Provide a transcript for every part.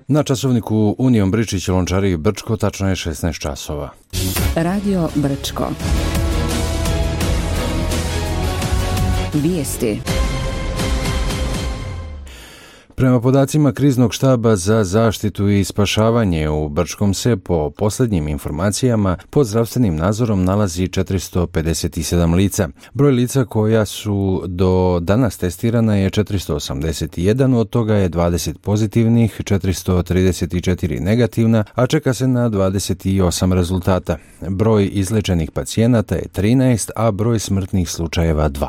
Na časovniku Union Bričić Lončari Brčko tačno je 16 časova. Radio Brčko. Vijesti. Prema podacima kriznog štaba za zaštitu i spašavanje u Brčkom se po posljednjim informacijama pod zdravstvenim nadzorom nalazi 457 lica. Broj lica koja su do danas testirana je 481, od toga je 20 pozitivnih, 434 negativna, a čeka se na 28 rezultata. Broj izlečenih pacijenata je 13, a broj smrtnih slučajeva 2.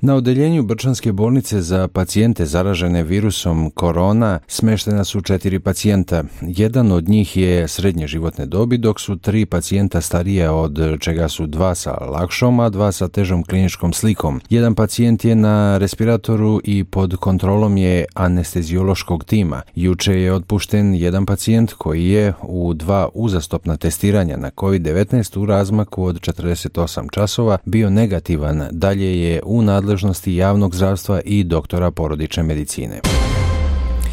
Na odeljenju Brčanske bolnice za pacijente zaražene virusom korona smeštena su 4 pacijenta. Jedan od njih je srednje životne dobi, dok su 3 pacijenta starije, od čega su 2 sa lakšom, a 2 sa težom kliničkom slikom. Jedan pacijent je na respiratoru i pod kontrolom je anesteziološkog tima. Juče je otpušten jedan pacijent koji je u 2 uzastopna testiranja na COVID-19 u razmaku od 48 časova bio negativan. Dalje je u nadležnosti javnog zdravstva i doktora porodične medicine.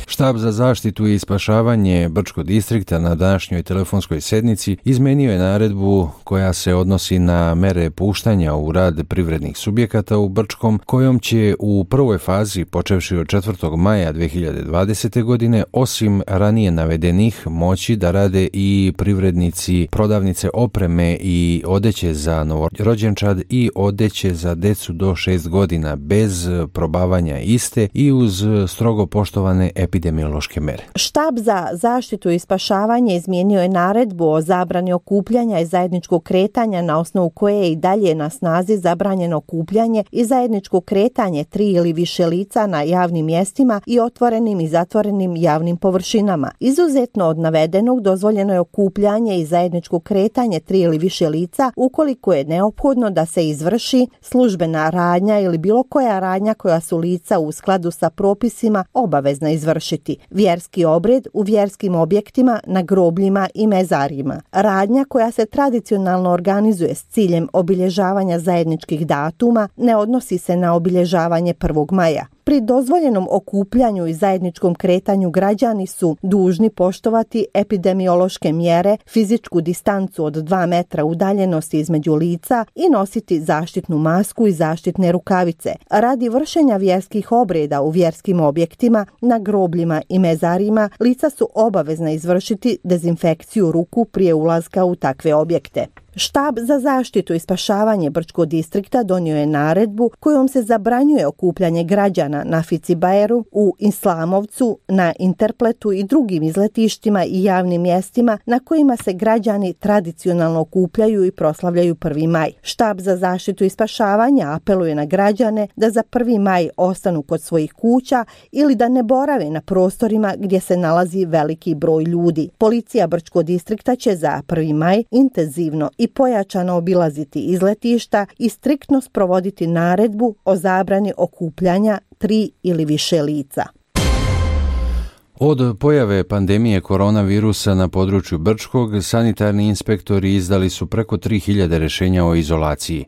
Štab za zaštitu i spašavanje Brčkog distrikta na današnjoj telefonskoj sjednici izmenio je naredbu koja se odnosi na mere puštanja u rad privrednih subjekata u Brčkom, kojom će u prvoj fazi, počevši od 4. maja 2020. godine, osim ranije navedenih, moći da rade i privrednici prodavnice opreme i odeće za novorođenčad i odeće za decu do 6 godina bez probavanja iste i uz strogo poštovane epidemiološke mere. Štab za zaštitu i spašavanje izmijenio je naredbu o zabrani okupljanja i zajedničkog kretanja, na osnovu koje je i dalje na snazi zabranjeno okupljanje i zajedničko kretanje 3 ili više lica na javnim mjestima i otvorenim i zatvorenim javnim površinama. Izuzetno od navedenog dozvoljeno je okupljanje i zajedničko kretanje 3 ili više lica ukoliko je neophodno da se izvrši službena radnja ili bilo koja radnja koja su lica u skladu sa propisima obavezna izvršiti. Vjerski obred u vjerskim objektima, na grobljima i mezarjima. Radnja koja se tradicionalno organizuje s ciljem obilježavanja zajedničkih datuma ne odnosi se na obilježavanje 1. maja. Pri dozvoljenom okupljanju i zajedničkom kretanju građani su dužni poštovati epidemiološke mjere, fizičku distancu od 2 metra udaljenosti između lica i nositi zaštitnu masku i zaštitne rukavice. Radi vršenja vjerskih obreda u vjerskim objektima, na grobljima i mezarima, lica su obavezna izvršiti dezinfekciju ruku prije ulaska u takve objekte. Štab za zaštitu i spašavanje Brčkog distrikta donio je naredbu kojom se zabranjuje okupljanje građana na Ficibajeru, u Islamovcu, na Interpletu i drugim izletištima i javnim mjestima na kojima se građani tradicionalno okupljaju i proslavljaju 1. maj. Štab za zaštitu i spašavanje apeluje na građane da za 1. maj ostanu kod svojih kuća ili da ne borave na prostorima gdje se nalazi veliki broj ljudi. Policija Brčkog distrikta će za 1. maj intenzivno i pojačano obilaziti izletišta i striktno sprovoditi naredbu o zabrani okupljanja 3 ili više lica. Od pojave pandemije koronavirusa na području Brčkog, sanitarni inspektori izdali su preko 3000 rješenja o izolaciji.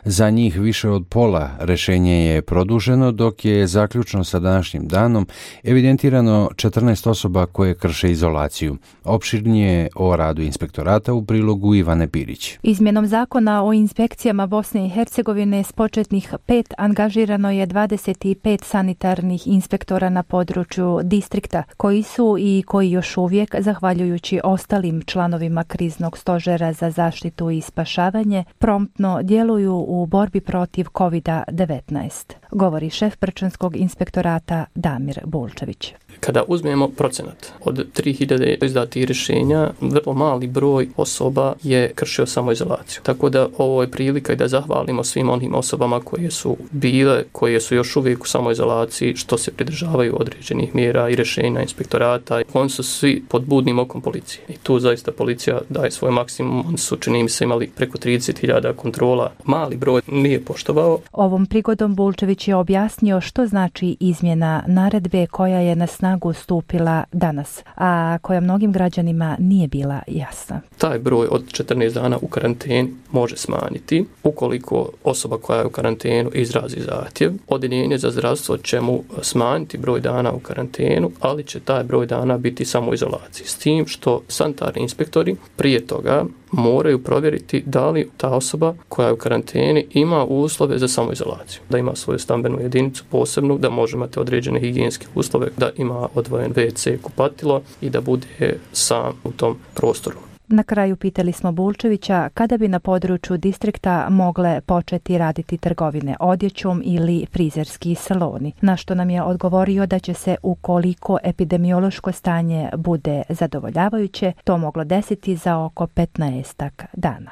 Za njih više od pola rješenje je produženo, dok je zaključno sa današnjim danom evidentirano 14 osoba koje krše izolaciju. Opširnije o radu inspektorata u prilogu Ivane Pirić. Izmjenom zakona o inspekcijama Bosne i Hercegovine s početnih 5 angažirano je 25 sanitarnih inspektora na području distrikta, koji su i koji još uvijek, zahvaljujući ostalim članovima kriznog stožera za zaštitu i spašavanje, promptno djeluju u borbi protiv COVID-19, govori šef Brčanskog inspektorata Damir Bulčević. Kada uzmemo procenat od 3000 izdatih rješenja, vrlo mali broj osoba je kršio samoizolaciju. Tako da ovo je prilika i da zahvalimo svim onim osobama koje su bile, koje su još uvijek u samoizolaciji, što se pridržavaju određenih mjera i rješenja inspektorata. Oni su svi pod budnim okom policije. I tu zaista policija daje svoj maksimum. Oni su, čini mi se, imali preko 30.000 kontrola. Mali broj nije poštovao. Ovom prigodom Bulčević je objasnio što znači izmjena naredbe koja je na snagu stupila danas, a koja mnogim građanima nije bila jasna. Taj broj od 14 dana u karanteni može smanjiti ukoliko osoba koja je u karantenu izrazi zahtjev. Odjeljenje za zdravstvo će mu smanjiti broj dana u karantenu, ali će će taj broj dana biti u samoizolaciji. S tim što sanitarni inspektori prije toga moraju provjeriti da li ta osoba koja je u karanteni ima uslove za samoizolaciju. Da ima svoju stambenu jedinicu posebnu, da može imati određene higijenske uslove, da ima odvojen WC, kupatilo i da bude sam u tom prostoru. Na kraju pitali smo Bulčevića kada bi na području distrikta mogle početi raditi trgovine odjećom ili frizerski saloni, na što nam je odgovorio da će se, ukoliko epidemiološko stanje bude zadovoljavajuće, to moglo desiti za oko 15 dana.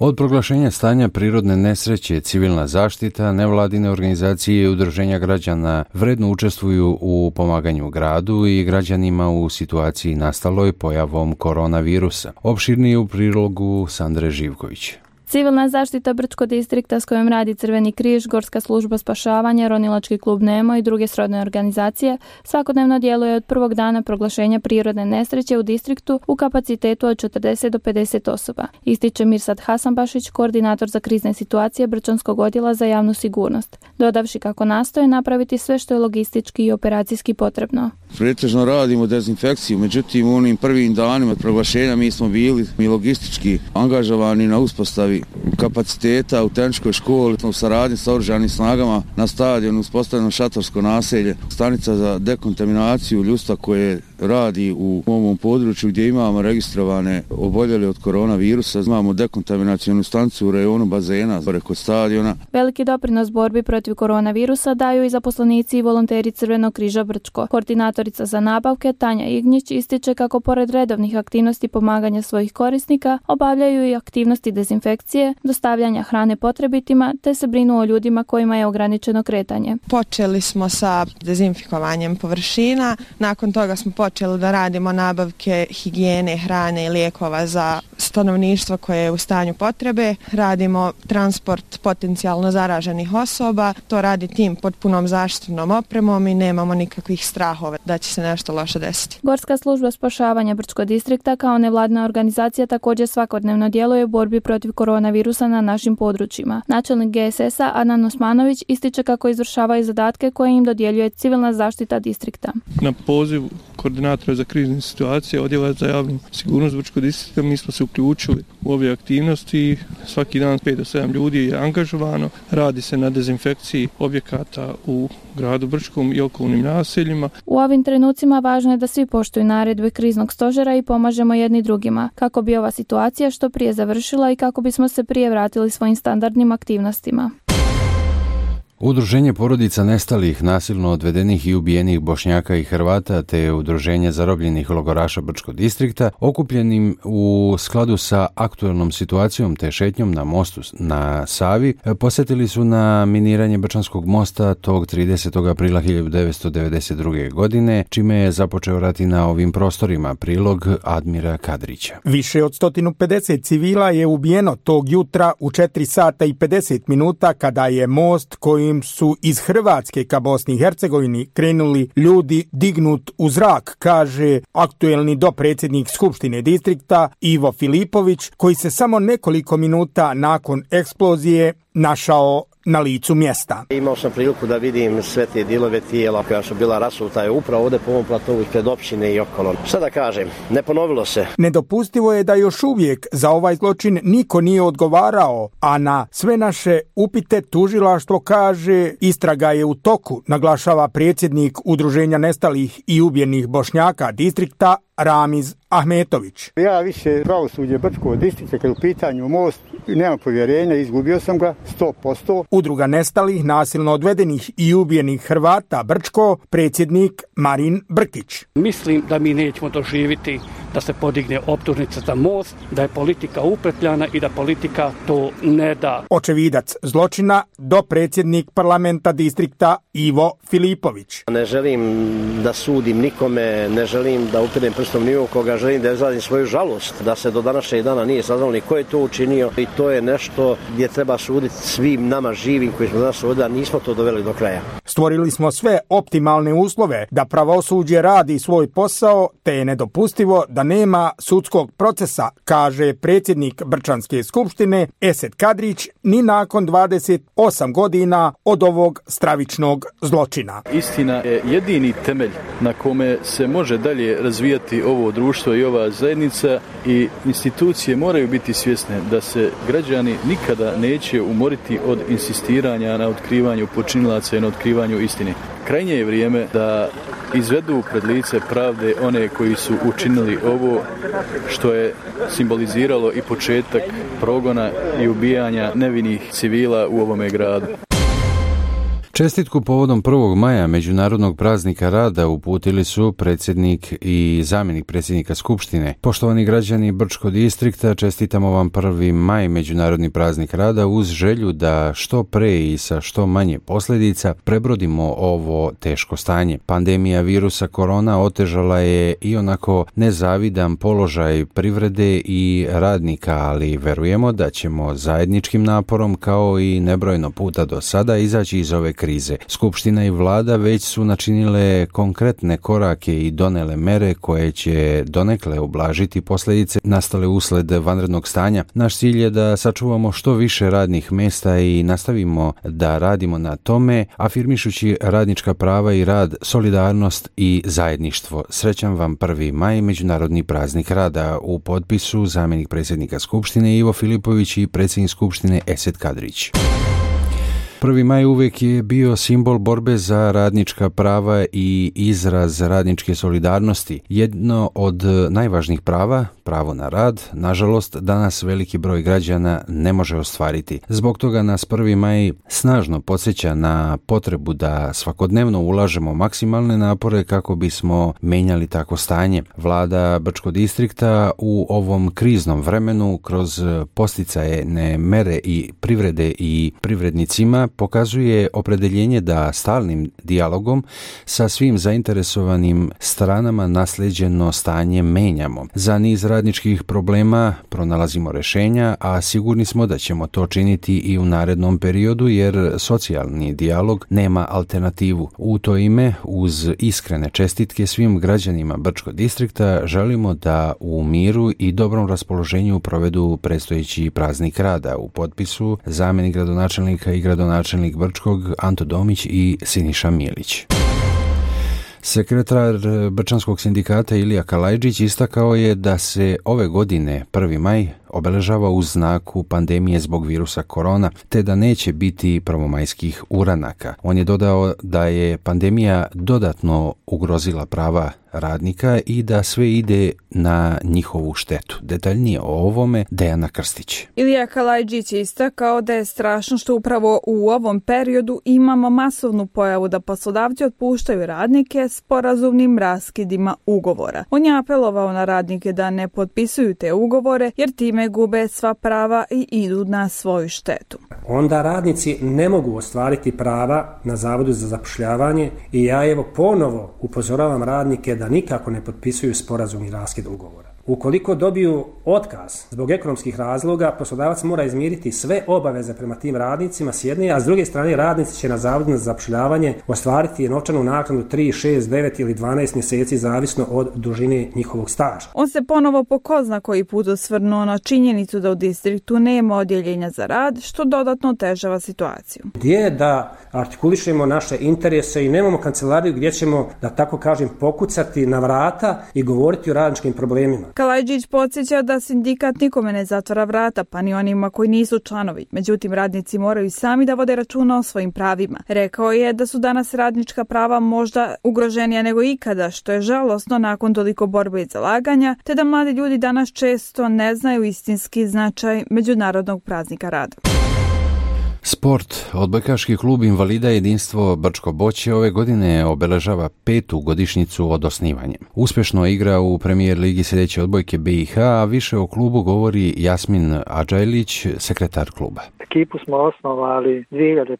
Od proglašenja stanja prirodne nesreće, civilna zaštita, nevladine organizacije i udruženja građana vredno učestvuju u pomaganju gradu i građanima u situaciji nastaloj pojavom koronavirusa. Opširnije u prilogu Sandre Živković. Civilna zaštita Brčko distrikta s kojom radi Crveni križ, Gorska služba spašavanja, Ronilački klub Nemo i druge srodne organizacije svakodnevno djeluje od prvog dana proglašenja prirodne nesreće u distriktu u kapacitetu od 40 do 50 osoba. Ističe Mirsad Hasanbašić, koordinator za krizne situacije Brčanskog odjela za javnu sigurnost, dodavši kako nastoje napraviti sve što je logistički i operacijski potrebno. Pretežno radimo dezinfekciju, međutim u onim prvim danima proglašenja mi smo bili i logistički angažovani na uspostavi kapaciteta u tehničkoj školi, u saradnji sa oružanim snagama na stadionu uspostavljeno šatorsko naselje, stanica za dekontaminaciju ljudstva koje radi u ovom području gdje imamo registrovane oboljele od koronavirusa. Imamo dekontaminacionu stanicu u rejonu bazena kod stadiona. Veliki doprinos borbi protiv koronavirusa daju i zaposlenici i volonteri Crvenog križa Brčko. Koordinatorica za nabavke Tanja Ignjić ističe kako pored redovnih aktivnosti pomaganja svojih korisnika obavljaju i aktivnosti dezinfekcije, dostavljanja hrane potrebitima te se brinu o ljudima kojima je ograničeno kretanje. Počeli smo sa dezinfikovanjem površina, nakon toga smo počeli da radimo nabavke higijene, hrane i lijekova za stanovništvo koje je u stanju potrebe. Radimo transport potencijalno zaraženih osoba, to radi tim pod punom zaštitnom opremom i nemamo nikakvih strahova da će se nešto loše desiti. Gorska služba spašavanja Brčko distrikta kao nevladina organizacija također svakodnevno djeluje u borbi protiv koronavirusa na našim područjima. Načelnik GSS-a Adnan Osmanović ističe kako izvršavaju zadatke koje im dodjeljuje civilna zaštita distrikta. Na poziv koordinatora za krizne situacije Odjela za javnu sigurnost Brčko distrikta mi smo se uključili u ove aktivnosti. Svaki dan 5 do 7 ljudi je angažovano. Radi se na dezinfekciji objekata u gradu Brčkom i okolnim naseljima. U ovim trenucima važno je da svi poštuju naredbe kriznog stožera i pomažemo jedni drugima kako bi ova situacija što prije završila i kako bismo se prije vratili svojim standardnim aktivnostima. Udruženje porodica nestalih, nasilno odvedenih i ubijenih Bošnjaka i Hrvata te Udruženje zarobljenih logoraša Brčko distrikta, okupljenim u skladu sa aktuelnom situacijom te šetnjom na mostu na Savi, posjetili su na miniranje Brčanskog mosta tog 30. aprila 1992. godine, čime je započeo rat i na ovim prostorima. Prilog Admira Kadrića. Više od 150 civila je ubijeno tog jutra u 4 sata i 50 minuta kada je most koji su iz Hrvatske ka Bosni i Hercegovini krenuli ljudi dignut u zrak, kaže aktuelni dopredsjednik Skupštine distrikta Ivo Filipović, koji se samo nekoliko minuta nakon eksplozije našao na licu mjesta. Imao sam priliku da vidim sve te dijelove tijela koja su bila rasuta je upravo ovdje po ovom platovu ispred općine i okolo. Šta da kažem, ne ponovilo se. Nedopustivo je da još uvijek za ovaj zločin niko nije odgovarao, a na sve naše upite tužilaštvo kaže istraga je u toku, naglašava predsjednik Udruženja nestalih i ubijenih Bošnjaka distrikta Ramiz Ahmetović. Ja više pravosuđe Brčkog distrikta kad u pitanju most nemam povjerenja, izgubio sam ga 100%. Udruga nestalih, nasilno odvedenih i ubijenih Hrvata Brčko, predsjednik Marin Brkić. Mislim da mi nećemo doživjeti da se podigne optužnica za most, da je politika upetljana i da politika to ne da. Očevidac zločina, dopredsjednik parlamenta distrikta Ivo Filipović. Ne želim da sudim nikome, ne želim da upirem prstom ni u koga, želim da izrazim svoju žalost da se do današnjeg dana nije saznalo ni ko je to učinio i to je nešto gdje treba suditi svim nama živim koji smo danas ovdje, a nismo to doveli do kraja. Stvorili smo sve optimalne uslove da pravosuđe radi svoj posao, te je nedopustivo da nema sudskog procesa, kaže predsjednik Brčanske skupštine Esed Kadrić, ni nakon 28 godina od ovog stravičnog zločina. Istina je jedini temelj na kome se može dalje razvijati ovo društvo i ova zajednica, i institucije moraju biti svjesne da se građani nikada neće umoriti od insistiranja na otkrivanju počinilaca i na otkrivanju istine. Krajnje je vrijeme da izvedu pred lice pravde one koji su učinili ovo, što je simboliziralo i početak progona i ubijanja nevinih civila u ovome gradu. Čestitku povodom 1. maja, Međunarodnog praznika rada, uputili su predsjednik i zamjenik predsjednika Skupštine. Poštovani građani Brčkog distrikta, čestitamo vam 1. maj, Međunarodni praznik rada, uz želju da što pre i sa što manje posljedica prebrodimo ovo teško stanje. Pandemija virusa korona otežala je i onako nezavidan položaj privrede i radnika, ali verujemo da ćemo zajedničkim naporom, kao i nebrojno puta do sada, izaći iz ove krize. Skupština i vlada već su načinile konkretne korake i donele mere koje će donekle ublažiti posljedice nastale usled vanrednog stanja. Naš cilj je da sačuvamo što više radnih mjesta i nastavimo da radimo na tome, afirmišući radnička prava i rad, solidarnost i zajedništvo. Srećan vam 1. maj, Međunarodni praznik rada. U potpisu zamjenik predsjednika Skupštine Ivo Filipović i predsjednik Skupštine Esed Kadrić. 1. maj uvijek je bio simbol borbe za radnička prava i izraz radničke solidarnosti. Jedno od najvažnijih prava, pravo na rad, nažalost, danas veliki broj građana ne može ostvariti. Zbog toga nas 1. maj snažno podsjeća na potrebu da svakodnevno ulažemo maksimalne napore kako bismo menjali tako stanje. Vlada Brčkog distrikta u ovom kriznom vremenu kroz posticajne mere i privrede i privrednicima pokazuje opredeljenje da stalnim dijalogom sa svim zainteresovanim stranama naslijeđeno stanje menjamo. Za niz radničkih problema pronalazimo rješenja, a sigurni smo da ćemo to činiti i u narednom periodu, jer socijalni dijalog nema alternativu. U to ime, uz iskrene čestitke svim građanima Brčkog distrikta, želimo da u miru i dobrom raspoloženju provedu predstojeći praznik rada. U potpisu zamjenik gradonačelnika i gradonačelnik Brčkog Anto Domić i Siniša Milić. Sekretar Brčanskog sindikata Ilija Kalajđić istakao je da se ove godine 1. maj obeležava u znaku pandemije zbog virusa korona, te da neće biti prvomajskih uranaka. On je dodao da je pandemija dodatno ugrozila prava radnika i da sve ide na njihovu štetu. Detaljnije o ovome Dejana Krstić. Ilija Kalajđić je istakao da je strašno što upravo u ovom periodu imamo masovnu pojavu da poslodavci otpuštaju radnike sporazumnim raskidima ugovora. On je apelovao na radnike da ne potpisuju te ugovore jer time gube sva prava i idu na svoju štetu. Onda radnici ne mogu ostvariti prava na Zavodu za zapošljavanje i ja evo ponovo upozoravam radnike da nikako ne potpisuju sporazumni raskid ugovora. Ukoliko dobiju otkaz zbog ekonomskih razloga, poslodavac mora izmiriti sve obaveze prema tim radnicima s jedne, a s druge strane radnici će na Zavodu za zapošljavanje ostvariti novčanu naknadu 3, 6, 9 ili 12 mjeseci zavisno od dužine njihovog staža. On se ponovo po ko zna koji put osvrnuo na činjenicu da u distriktu nema odjeljenja za rad, što dodatno otežava situaciju. Gdje je da artikulišemo naše interese i nemamo kancelariju gdje ćemo, da tako kažem, pokucati na vrata i govoriti o radničkim problemima. Kalajđić podsjeća da sindikat nikome ne zatvara vrata, pa ni onima koji nisu članovi. Međutim, radnici moraju sami da vode računa o svojim pravima. Rekao je da su danas radnička prava možda ugroženija nego ikada, što je žalosno nakon toliko borbe i zalaganja, te da mladi ljudi danas često ne znaju istinski značaj Međunarodnog praznika rada. Sport. Odbojkaški klub Invalida Jedinstvo Brčko Boće ove godine obeležava 5. godišnjicu od osnivanja. Uspješno igra u Premijer ligi sljedeće odbojke BiH, a više o klubu govori Jasmin Adžajlić, sekretar kluba. Ekipu smo osnovali 2015.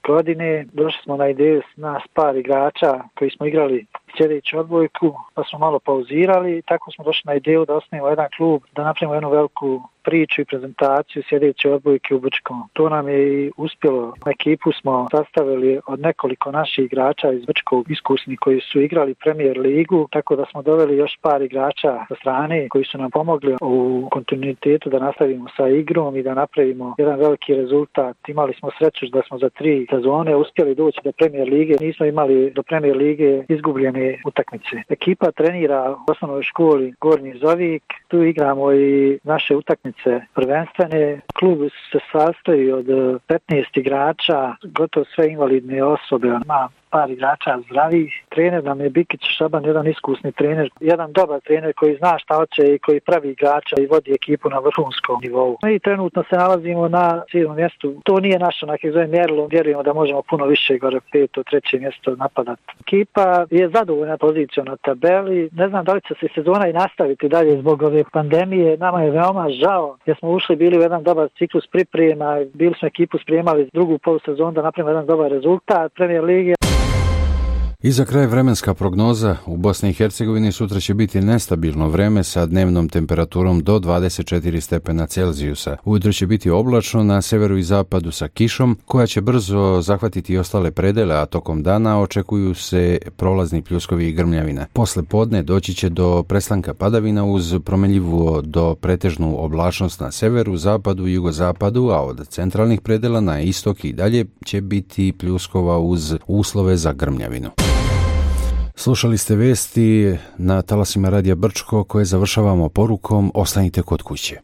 godine. Došli smo na ideju nas par igrača koji smo igrali sljedeću odbojku, pa smo malo pauzirali i tako smo došli na ideju da osnujemo jedan klub, da napravimo jednu veliku priču i prezentaciju sljedeće odbojke u Brčkom. To nam je i uspjelo. Ekipu smo sastavili od nekoliko naših igrača iz Brčkog iskusni koji su igrali Premier ligu, tako da smo doveli još par igrača sa strane koji su nam pomogli u kontinuitetu da nastavimo sa igrom i da napravimo jedan veliki rezultat. Imali smo sreću da smo za 3 sezone uspjeli doći do Premier lige. Nismo imali do Premier lige izgubljene utakmice. Ekipa trenira u osnovnoj školi Gornji Zovik. Tu igramo i naše utakmice prvenstvene. Klub se sastoji od 15 igrača, gotovo sve invalidne osobe. Ima par igrača zdravih. Trener nam je Bikić Šaban, jedan iskusni trener, jedan dobar trener koji zna šta hoće i koji pravi igrača i vodi ekipu na vrhunskom nivou. Mi trenutno se nalazimo na 7. mjestu. To nije naše mjerilo. Vjerujemo da možemo puno više, gore 5. 3. mjesto napadati. Ekipa je zadovoljna pozicijom na tabeli. Ne znam da li će se sezona i nastaviti dalje zbog ove pandemije. Nama je veoma žao jer smo ušli, bili u jedan dobar ciklus priprema, bili smo ekipu spremali drugu polusezonu da napravimo jedan dobar rezultat Premier lige. I za kraj vremenska prognoza. U Bosni i Hercegovini sutra će biti nestabilno vreme sa dnevnom temperaturom do 24 stepena Celzijusa. Ujutro će biti oblačno na severu i zapadu sa kišom koja će brzo zahvatiti i ostale predele, a tokom dana očekuju se prolazni pljuskovi i grmljavine. Posle podne doći će do prestanka padavina uz promjenjivu do pretežnu oblačnost na severu, zapadu i jugozapadu, a od centralnih predela na istok i dalje će biti pljuskova uz uslove za grmljavinu. Slušali ste vesti na talasima Radija Brčko koje završavamo porukom: ostanite kod kuće.